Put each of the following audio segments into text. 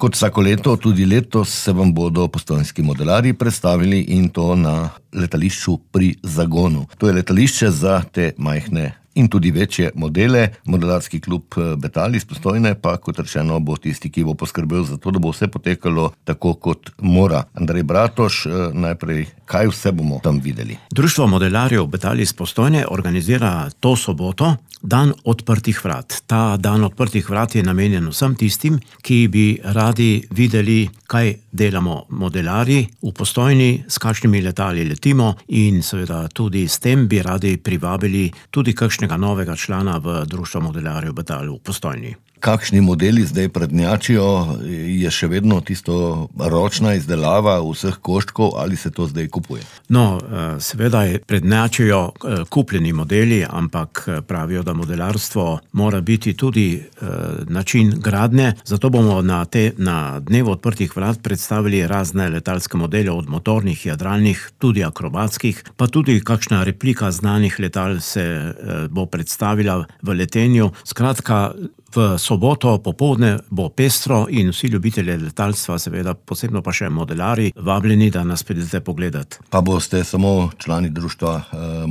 Kot vsako leto, tudi letos se vam bodo postojnski modelarji predstavili in to na letališču pri Zagonu. To je letališče za te majhne in tudi večje modele. Modelarski klub Betal iz Postojne pa, kot rečeno, bo tisti, ki bo poskrbel za to, da bo vse potekalo tako, kot mora. Andrej Bratoš, najprej, kaj vse bomo tam videli? Društvo modelarjev Betal iz Postojne organizira to soboto dan odprtih vrat. Ta dan odprtih vrat je namenjen vsem tistim, ki bi radi videli, kaj delamo modelarji v Postojni, s kakšnimi letali letimo in seveda tudi s tem bi radi privabili tudi kakšnega novega člana v Društvo modelarjev Betal v Postojni. Kakšni modeli zdaj prednjačijo? Je še vedno tisto ročna izdelava vseh koščkov ali se to zdaj kupuje? No, seveda prednjačijo kupljeni modeli, ampak pravijo, da modelarstvo mora biti tudi način gradnje. Zato bomo na dnevu odprtih vrat predstavili razne letalske modele, od motornih, jadralnih, tudi akrobatskih, pa tudi kakšna replika znanih letal se bo predstavila v letenju. Skratka, v soboto popoldne bo pestro in vsi ljubitelji letalstva, seveda posebno pa še modelarji, vabljeni, da nas pridete pogledati. Pa boste samo člani Društva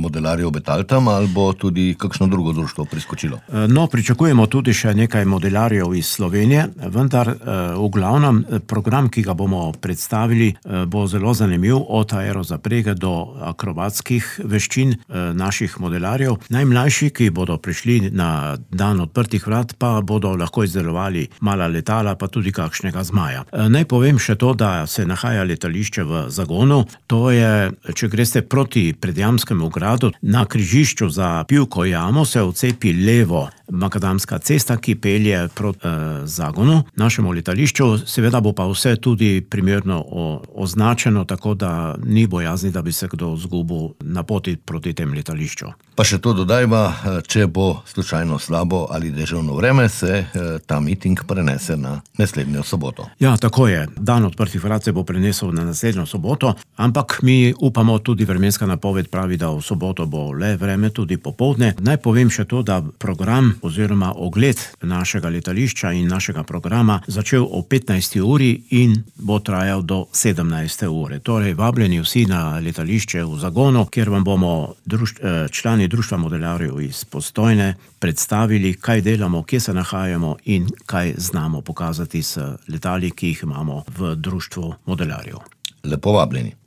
modelarjev Betal tam ali bo tudi kakšno drugo društvo priskočilo? No, pričakujemo tudi še nekaj modelarjev iz Slovenije, vendar v glavnem program, ki ga bomo predstavili, bo zelo zanimiv, od aerozaprege do akrobatskih veščin naših modelarjev. Najmlajši, ki bodo prišli na dan odprtih vrat, pa bodo lahko izdelovali mala letala, pa tudi kakšnega zmaja. Naj povem še to, da se nahaja letališče v Zagonu. To je, če greste proti Predjamskemu gradu, na križišču za Pivko jamo se odcepi levo makadamska cesta, ki pelje proti Zagonu, našemu letališču. Seveda bo pa vse tudi primerno označeno, tako da ni bojazni, da bi se kdo izgubil na poti proti tem letališču. Pa še to dodajva, če bo slučajno slabo ali deževno vreme, se ta miting prenese na naslednjo soboto. Ja, tako je. Dan odprtih vrat se bo prenesel na naslednjo soboto, ampak mi upamo, tudi vremenska napoved pravi, da v soboto bo le vreme, tudi popoldne. Naj povem še to, da program oziroma ogled našega letališča in našega programa začel o 15. uri in bo trajal do 17. ure. Torej, vabljeni vsi na letališče v Zagonu, kjer vam bomo člani Društva modelarjev iz Postojne predstavili, kaj delamo, kje se nahajamo in kaj znamo pokazati s letali, ki jih imamo v Društvu modelarjev. Lepo vabljeni.